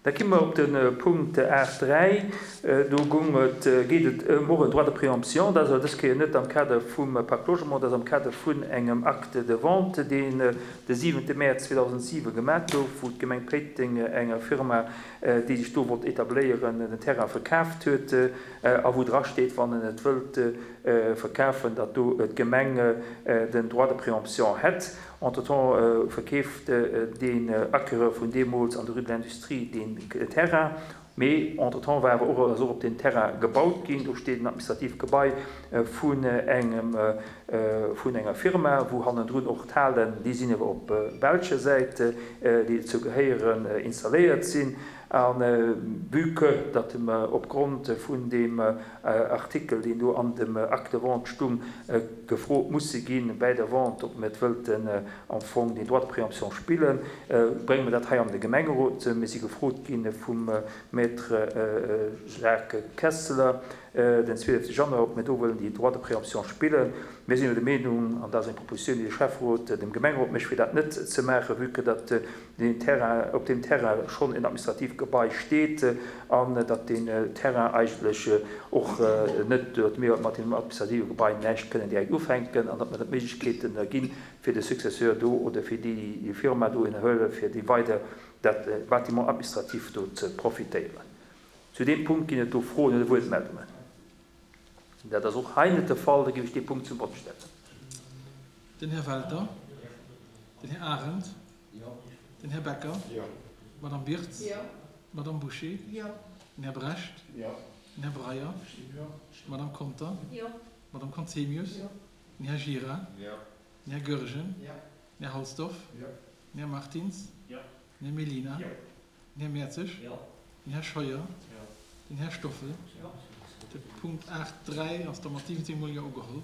Da gi mer op de Punkt 8, 3. Do gung et, geet et ëm och en Droit de préemption. Dat ass awer dës Kéier net am Kader vum Pacte Logement, dat ass am Kader vun engem Acte de vente, deen de siwente Mäerz 2007 gemat gouf, wou d'Gemeng Péiteng enger Firma, déi sech do wollt etabléieren, den Terrain verkaaft huet a wou drasteet, wann en et wëllt verkafen, datt do d'Gemeng den Droit de préemption hätt. Entretemps verkeeft deen Acquéreur vun deemools an der Rue de l'Industrie deen Terrain. Mee entretemps war awer och, ass och op deem Terrain gebaut ginn. Do steet en administratiivt Gebai vun engem, vun enger Firma, wou hannendrun och d'Halen, déi sinn awer op belscher Säit, déi dozou gehéieren, installéiert sinn. A vue que datt mer opgrond vun deem Artikel, deen do an dem Acte de vente stung, gefrot musse gi bäi der Vente, ob mir et wëllten am Fong deen Droit de préemption spillen, brénge mer dat hei an de Gemengerot. Mir si gefrot gi vum Maître Jacques Kesseler den 12 Januar, ob mir do wëllen déi Droit de préemption spillen. Mir sinn elo der Meenung, an dat ass eng Proposition, déi de Schäfferot dem Gemengerot mécht, fir dat net ze maachen, vue que datt deen Terrain, op deem Terrain schonn en administratiivt Gebai steet an datt deen Terrain eigentlech och net, datt mir mat deem administrative Gebai näischt kënnen direkt ufänken an datt mer net d'Méiglechkeeten ginn, fir de Successeur do oder fir déi Firma do iwwerhuelen, fir déi weider dat Bâtiment administratif do ze profitéieren. Zu deem Punkt ginn et do Froen oder Wuertmeldungen? Dat ass och hei net de Fall. Da géif ech dee Punkt zum Vott stellen. Den Här Welter. Den Här Arendt. Den Här Becker. D'Madame Birtz. D'Madame Bouché. Den Här Brecht. Den Här Breyer. D'Madame Conter. D'Madame Conzemius. Den Här Gira. Den Här Goergen. Den Här Halsdorf. Den Här Martins. Den Här Mellina. Den Här Mertzig. Den Här Scheuer. Den Här Stoffel. De Punkt 8, 3 ass da mat 17 Mol Jo ugeholl.